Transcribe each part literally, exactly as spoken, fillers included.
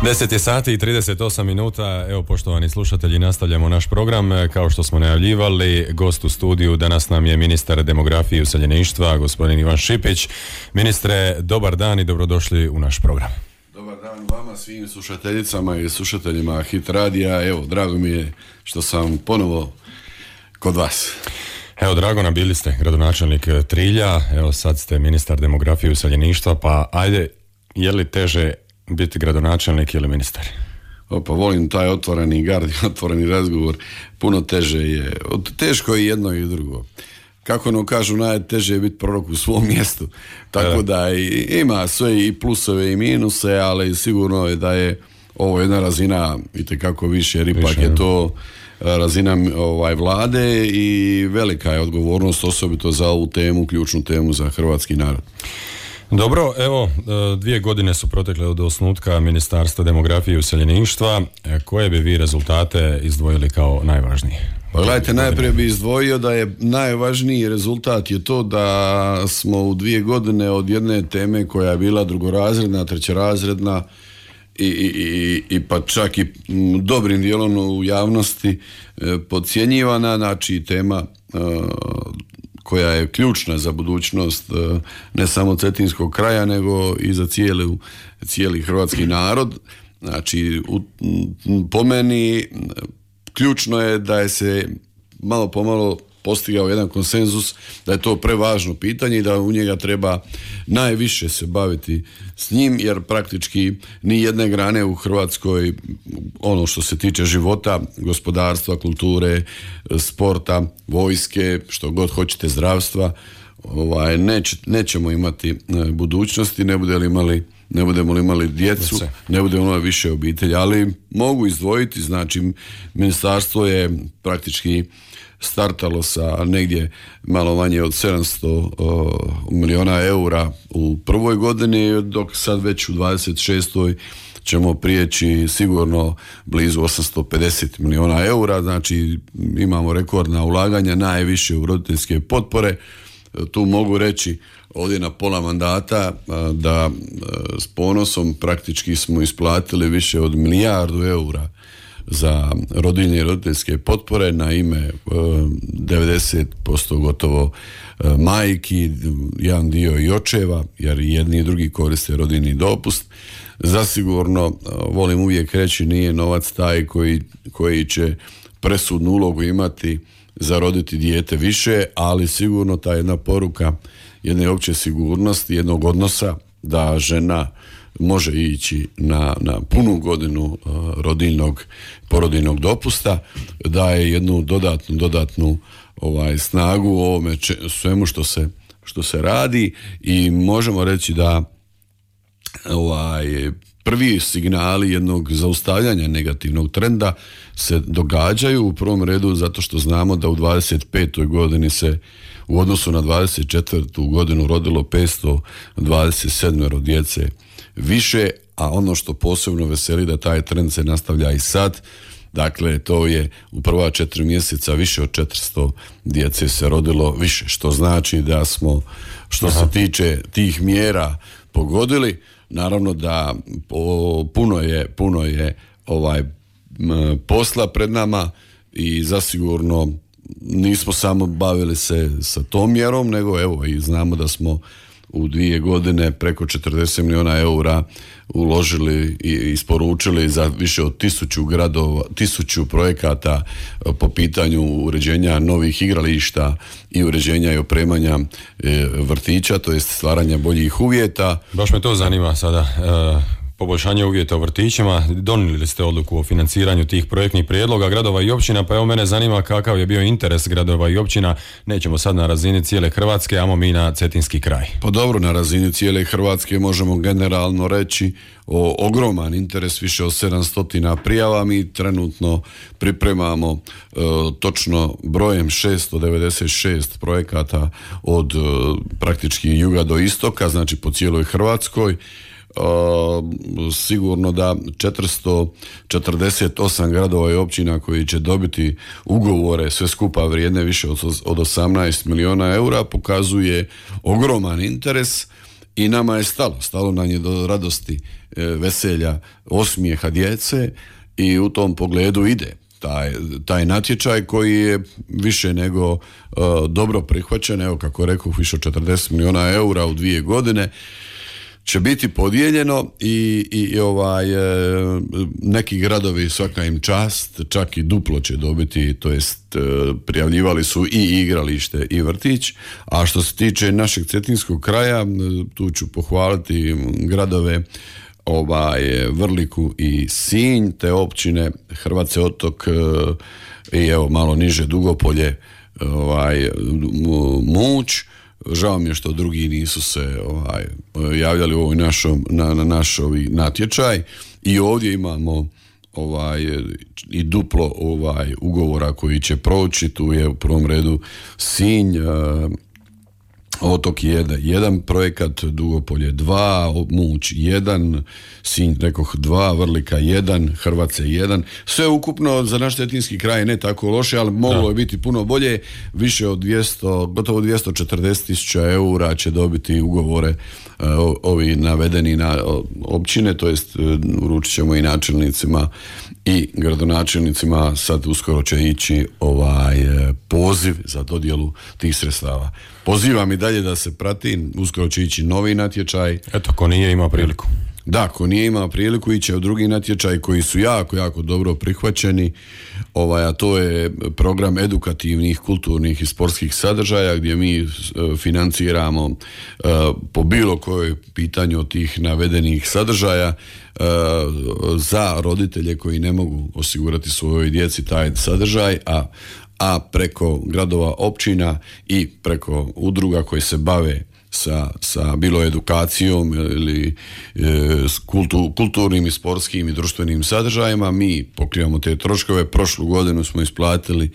deset je sati i trideset osam minuta. Evo, poštovani slušatelji, nastavljamo naš program. Kao što smo najavljivali, gost u studiju danas nam je ministar demografije i useljeništva, gospodin Ivan Šipić. Ministre, dobar dan i dobrodošli u naš program. Dobar dan vama, svim slušateljicama i slušateljima Hit Radija. Evo, drago mi je što sam ponovo kod vas. Evo, drago nam, bili ste gradonačelnik Trilja, evo sad ste ministar demografije i useljeništva, pa ajde, je li teže biti gradonačelnik ili ministar? Opa, volim taj otvoreni gard, otvoreni razgovor. Puno teže je. Teško je jedno i drugo. Kako no kažu, najteže je biti prorok u svom mjestu. Tako da ima sve i plusove i minuse, ali sigurno je da je ovo jedna razina itekako više, jer ipak je to razina ovaj, vlade i velika je odgovornost osobito za ovu temu, ključnu temu za hrvatski narod. Dobro, evo, dvije godine su protekle od osnutka Ministarstva demografije i useljeništva. Koje bi vi rezultate izdvojili kao najvažnije? Pa gledajte, najprije bi izdvojio da je najvažniji rezultat je to da smo u dvije godine od jedne teme koja je bila drugorazredna, trećerazredna i, i, i, i pa čak i dobrim dijelom u javnosti e, podcjenjivana, znači tema e, koja je ključna za budućnost ne samo cetinskog kraja, nego i za cijeli, cijeli hrvatski narod. Znači, u, po meni ključno je da je se malo pomalo postigao jedan konsenzus, da je to prevažno pitanje i da u njega treba najviše se baviti s njim, jer praktički ni jedne grane u Hrvatskoj, ono što se tiče života, gospodarstva, kulture, sporta, vojske, što god hoćete, zdravstva, ovaj, neć, nećemo imati budućnosti, ne budemo li imali ne budemo li imali djecu, ne budemo imali više obitelji, ali mogu izdvojiti, znači ministarstvo je praktički startalo sa negdje malo manje od sedamsto uh, milijuna eura u prvoj godini, dok sad već u dvadeset šestoj ćemo prijeći sigurno blizu osamsto pedeset milijuna eura, znači imamo rekordna ulaganja, najviše u roditeljske potpore. Tu mogu reći ovdje na pola mandata da s ponosom praktički smo isplatili više od milijardu eura za rodiljne i roditeljske potpore na ime devedeset posto gotovo majki, jedan dio i očeva, jer jedni i drugi koriste rodiljni dopust. Zasigurno, volim uvijek reći, nije novac taj koji, koji će presudnu ulogu imati za roditi dijete više, ali sigurno ta jedna poruka jedne opće sigurnosti, jednog odnosa da žena može ići na, na punu godinu uh, rodiljnog, porodiljnog dopusta, daje jednu dodatnu, dodatnu ovaj, snagu u ovome če, svemu što se, što se radi i možemo reći da ovaj, prvi signali jednog zaustavljanja negativnog trenda se događaju u prvom redu zato što znamo da u dvadeset petoj godini se u odnosu na dvadeset četvrtu godinu rodilo petsto dvadeset sedam djece više, a ono što posebno veseli da taj trend se nastavlja i sad. Dakle, to je u prva četiri mjeseca više od četiristo djece se rodilo više, što znači da smo, što Aha. se tiče tih mjera, pogodili. Naravno da po, puno je, puno je ovaj m, posla pred nama i zasigurno nismo samo bavili se sa tom mjerom, nego evo i znamo da smo u dvije godine preko četrdeset milijuna eura uložili i isporučili za više od tisuću gradova, tisuću projekata po pitanju uređenja novih igrališta i uređenja i opremanja vrtića, to jest stvaranja boljih uvjeta. Baš me to zanima sada. E... Poboljšanje uvjeta u vrtićima, donijeli ste odluku o financiranju tih projektnih prijedloga gradova i općina, pa evo mene zanima kakav je bio interes gradova i općina, nećemo sad na razini cijele Hrvatske, amo mi na cetinski kraj. Pa dobro, na razini cijele Hrvatske možemo generalno reći o ogroman interes, više od sedamsto prijava, mi trenutno pripremamo e, točno brojem šesto devedeset šest projekata od e, praktički juga do istoka, znači po cijeloj Hrvatskoj. Uh, sigurno da četiristo četrdeset osam gradova i općina koji će dobiti ugovore sve skupa vrijedne više od, od osamnaest milijuna eura pokazuje ogroman interes i nama je stalo, stalo nam je do radosti, veselja, osmijeha djece i u tom pogledu ide taj, taj natječaj koji je više nego uh, dobro prihvaćen, evo kako rekao, više od četrdeset milijuna eura u dvije godine će biti podijeljeno i, i, i ovaj, e, neki gradovi, svaka im čast, čak i duplo će dobiti, to jest e, prijavljivali su i igralište i vrtić, a što se tiče našeg cetinskog kraja, tu ću pohvaliti gradove ovaj, Vrliku i Sinj, te općine Hrvace Otok e, i evo malo niže Dugopolje, ovaj, Muć. Žao mi je što drugi nisu se ovaj, javljali u ovoj našom, na, na naš ovi natječaj i ovdje imamo ovaj, i duplo ovaj, ugovora koji će proći. Tu je u prvom redu Sinj, uh, Otok jedan, jedan projekat, Dugopolje dva, Muć jedan, Sinj rekoh dva, Vrlika jedan, Hrvace jedan. Sve ukupno za naš cetinski kraj ne tako loše, ali moglo je biti puno bolje. Više od dvjesto, gotovo dvjesto četrdeset tisuća eura će dobiti ugovore uh, ovi navedeni na općine, to jest uh, uručit ćemo i načelnicima i gradonačelnicima. Sad uskoro će ići ovaj poziv za dodjelu tih sredstava. Pozivam i dalje da se prati, uskoro će ići novi natječaj. Eto, ko nije imao priliku. Da, ko nije imao priliku, iće u drugi natječaj koji su jako, jako dobro prihvaćeni, ovaj, a to je program edukativnih, kulturnih i sportskih sadržaja gdje mi uh, financiramo uh, po bilo kojoj pitanju od tih navedenih sadržaja uh, za roditelje koji ne mogu osigurati svojoj djeci taj sadržaj, a a preko gradova, općina i preko udruga koji se bave sa, sa bilo edukacijom ili e, kultu, kulturnim i sportskim i društvenim sadržajima, mi pokrivamo te troškove. Prošlu godinu smo isplatili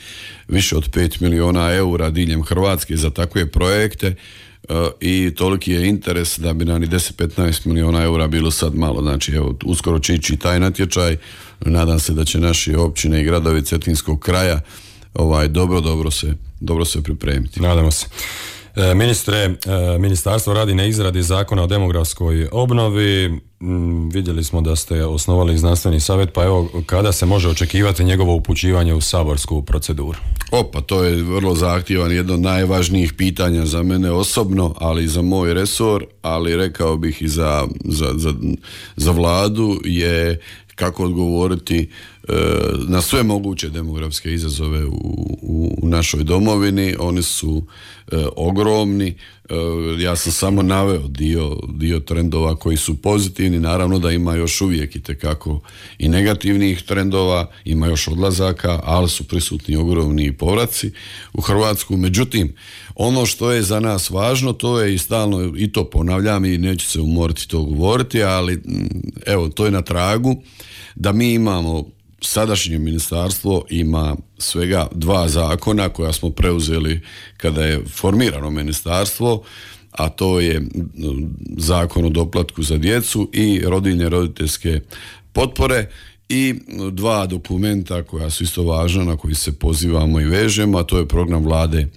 više od pet milijuna eura diljem Hrvatske za takve projekte e, i toliki je interes da bi nam i deset do petnaest milijuna eura bilo sad malo. Znači, evo, uskoro će ići taj natječaj. Nadam se da će naši općine i gradovi cetinskog kraja ovaj dobro, dobro se, dobro se pripremiti. Nadamo se. E, ministre, e, ministarstvo radi na izradi zakona o demografskoj obnovi. Mm, vidjeli smo da ste osnovali znanstveni savjet, pa evo, kada se može očekivati njegovo upućivanje u saborsku proceduru? Opa, to je vrlo zahtjevan, jedno od najvažnijih pitanja za mene osobno, ali i za moj resor, ali rekao bih i za, za, za, za vladu, je kako odgovoriti e, na sve moguće demografske izazove u, u, u našoj domovini. Oni su e, ogromni. E, ja sam samo naveo dio, dio trendova koji su pozitivni. Naravno da ima još uvijek itekako i negativnih trendova, ima još odlazaka, ali su prisutni ogromni povraci u Hrvatsku. Međutim, ono što je za nas važno, to je i stalno, i to ponavljam i neću se umoriti to govoriti, ali evo, to je na tragu da mi imamo, sadašnje ministarstvo ima svega dva zakona koja smo preuzeli kada je formirano ministarstvo, a to je Zakon o doplatku za djecu i rodiljne roditeljske potpore, i dva dokumenta koja su isto važna, na koji se pozivamo i vežemo, a to je program Vlade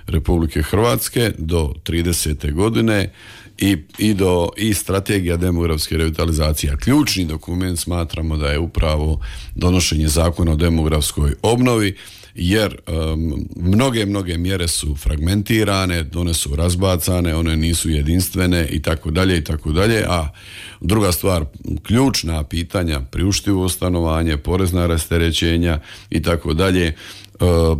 Republike Hrvatske do tridesete godine i, i, do, i strategija demografske revitalizacije. Ključni dokument smatramo da je upravo donošenje zakona o demografskoj obnovi, jer um, mnoge, mnoge mjere su fragmentirane, one su razbacane, one nisu jedinstvene i tako dalje i tako dalje, a druga stvar, ključna pitanja, priuštivo stanovanje, porezna rasterećenja i tako dalje,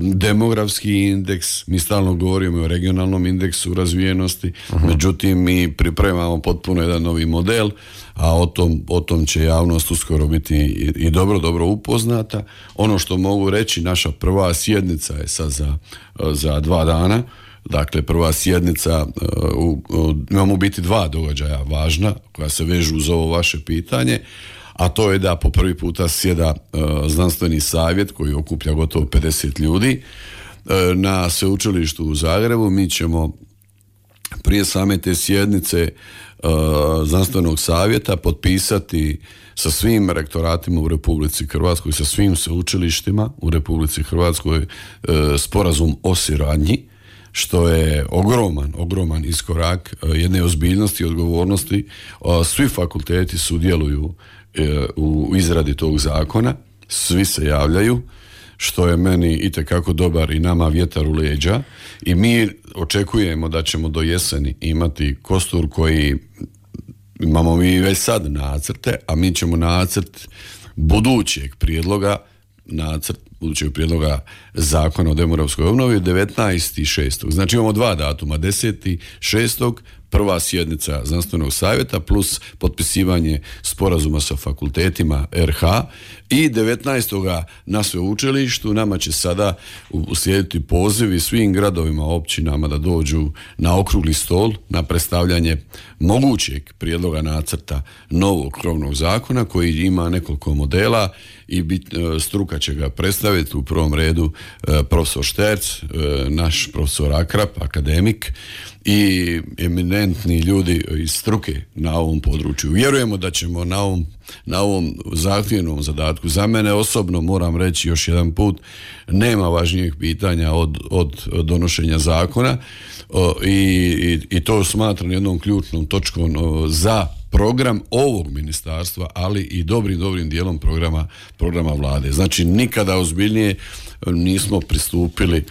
demografski indeks, mi stalno govorimo o regionalnom indeksu razvijenosti, uh-huh. međutim mi pripremamo potpuno jedan novi model, a o tom, o tom će javnost uskoro biti i, i dobro, dobro upoznata. Ono što mogu reći, naša prva sjednica je sad za, za dva dana. Dakle, prva sjednica, uh, uh, imamo biti dva događaja važna koja se vežu uz ovo vaše pitanje, a to je da po prvi puta sjeda uh, znanstveni savjet koji okuplja gotovo pedeset ljudi uh, na sveučilištu u Zagrebu. Mi ćemo prije same te sjednice uh, znanstvenog savjeta potpisati sa svim rektoratima u Republici Hrvatskoj, sa svim sveučilištima u Republici Hrvatskoj uh, sporazum o suradnji što je ogroman, ogroman iskorak jedne ozbiljnosti i odgovornosti. Svi fakulteti sudjeluju u izradi tog zakona, svi se javljaju, što je meni itekako dobar i nama vjetar u leđa, i mi očekujemo da ćemo do jeseni imati kostur koji imamo mi već sad nacrte, a mi ćemo nacrt budućeg prijedloga, nacrt budućeg prijedloga zakona o demografskoj obnovi devetnaesti šestog Znači imamo dva datuma, deseti šestog prva sjednica znanstvenog savjeta plus potpisivanje sporazuma sa fakultetima er ha i devetnaestog na sveučilištu. Nama će sada uslijediti pozivi svim gradovima, općinama da dođu na okrugli stol na predstavljanje mogućeg prijedloga nacrta novog krovnog zakona koji ima nekoliko modela i bit, struka će ga predstaviti, u prvom redu profesor Šterc, naš profesor Akrap, akademik, i eminentni ljudi iz struke na ovom području. Vjerujemo da ćemo na ovom, na ovom zahtjevnom zadatku, za mene osobno moram reći još jedan put, nema važnijeg pitanja od, od donošenja zakona o, i, i, i to smatram jednom ključnom točkom o, za program ovog ministarstva, ali i dobrim, dobrim dijelom programa, programa vlade. Znači nikada ozbiljnije nismo pristupili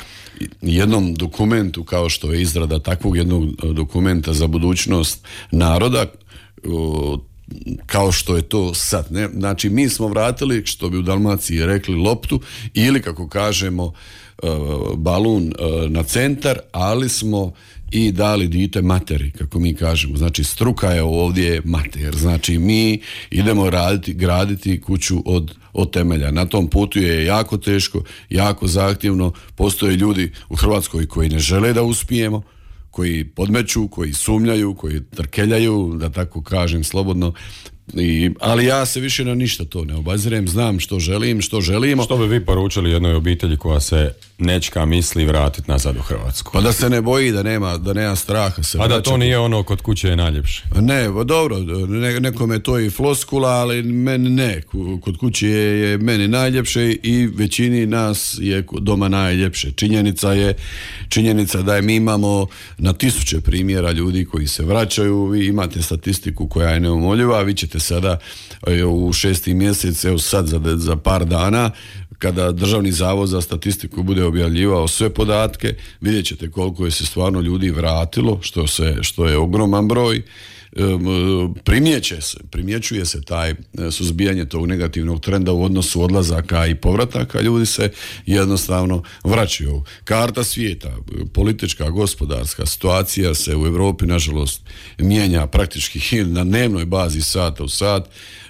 jednom dokumentu kao što je izrada takvog jednog dokumenta za budućnost naroda, kao što je to sad. Ne? Znači mi smo vratili, što bi u Dalmaciji rekli, loptu ili kako kažemo balun na centar, ali smo i dali dite materi, kako mi kažemo. Znači struka je ovdje mater. Znači mi idemo raditi, graditi kuću od, od temelja. Na tom putu je jako teško, jako zahtjevno. Postoje ljudi u Hrvatskoj koji ne žele da uspijemo, koji podmeću, koji sumnjaju, koji trkeljaju, da tako kažem slobodno. I, ali ja se više na ništa to ne obazirem, znam što želim, što želimo. Što bi vi poručili jednoj obitelji koja se nečka misli vratiti nazad u Hrvatsku? Pa da se ne boji, da nema, da nema straha. Se A vraća. Da to nije ono kod kuće je najljepše? Ne, dobro, ne, nekome je to i floskula, ali meni ne. Kod kuće je, je meni najljepše i većini nas je doma najljepše. Činjenica je, činjenica da je mi imamo na tisuće primjera ljudi koji se vraćaju. Vi imate statistiku koja je neumoljiva, vi ćete sada u šesti mjesec, evo sad za, za par dana, kada Državni zavod za statistiku bude objavljivao sve podatke, vidjet ćete koliko je se stvarno ljudi vratilo, što, se, što je ogroman broj. Primjeće se, primjećuje se taj suzbijanje tog negativnog trenda u odnosu odlazaka i povrataka, ljudi se jednostavno vraćaju. Karta svijeta, politička, gospodarska situacija se u Europi nažalost mijenja praktički na dnevnoj bazi, sata u sat.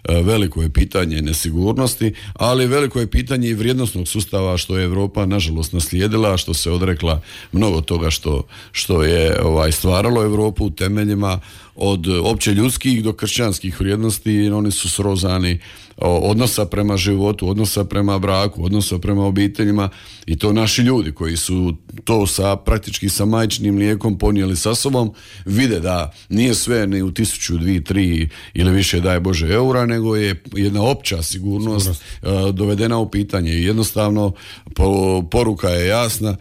Veliko je pitanje nesigurnosti, ali veliko je pitanje i vrijednosnog sustava što je Europa nažalost naslijedila, što se odrekla mnogo toga što, što je ovaj, stvaralo Europu u temeljima, od opće ljudskih do kršćanskih vrijednosti. Oni su srozani odnosa prema životu, odnosa prema braku, odnosa prema obiteljima, i to naši ljudi koji su to sa praktički sa majčinim mlijekom ponijeli sa sobom, vide da nije sve ni u tisuću, dvije, tri ili više daj Bože eura, nego je jedna opća sigurnost, sigurnost. dovedena u pitanje. I jednostavno po, poruka je jasna,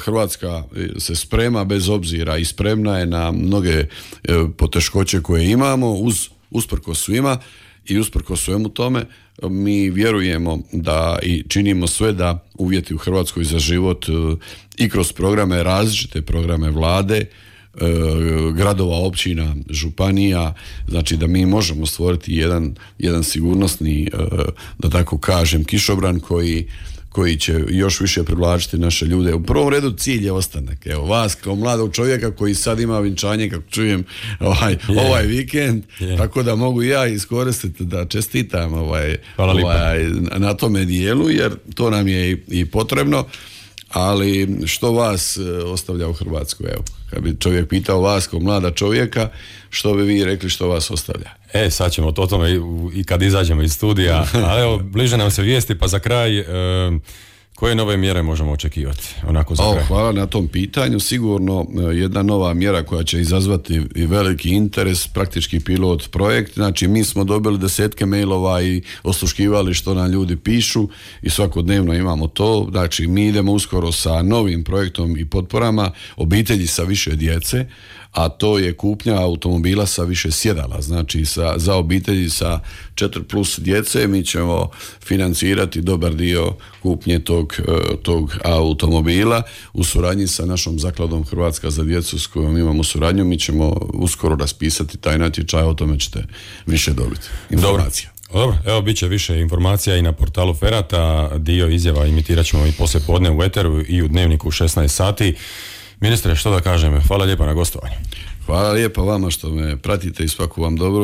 Hrvatska se sprema bez obzira i spremna je na mnoge poteškoće koje imamo, uz usprkos svima i usprkos svemu tome. Mi vjerujemo da i činimo sve da uvjeti u Hrvatskoj za život i kroz programe, različite programe vlade, gradova, općina, županija, znači da mi možemo stvoriti jedan, jedan sigurnosni, da tako kažem, kišobran koji koji će još više privlačiti naše ljude. U prvom redu cilj je ostanak. Evo, vas kao mladog čovjeka koji sad ima vinčanje, kako čujem, ovaj, yeah. ovaj vikend, yeah. tako da mogu ja iskoristiti da čestitam ovaj, ovaj, na tome dijelu, jer to nam je i, i potrebno. Ali što vas ostavlja u Hrvatskoj? Evo, kad bi čovjek pitao vas kao mlada čovjeka, što bi vi rekli što vas ostavlja? E, sad ćemo to o tome i, i kad izađemo iz studija, ali evo, bliže nam se vijesti, pa za kraj, e, Koje nove mjere možemo očekivati? Onako za o, kraj. Hvala na tom pitanju. Sigurno jedna nova mjera koja će izazvati i veliki interes, praktički pilot projekt. Znači mi smo dobili desetke mailova i osluškivali što nam ljudi pišu i svakodnevno imamo to. Znači mi idemo uskoro sa novim projektom i potporama obitelji sa više djece, a to je kupnja automobila sa više sjedala. Znači sa, za obitelji sa četiri plus djece mi ćemo financirati dobar dio kupnje tog, tog automobila u suradnji sa našom zakladom Hrvatska za djecu s kojom imamo suradnju. Mi ćemo uskoro raspisati taj natječaj, o tome ćete više dobiti informacija. Dobro, evo bit će više informacija i na portalu Ferata, dio izjava imitirat ćemo i poslije podne u Eteru i u Dnevniku u šesnaest sati. Ministre, što da kažem, hvala lijepa na gostovanju. Hvala lijepa vama što me pratite i svaku vam dobro.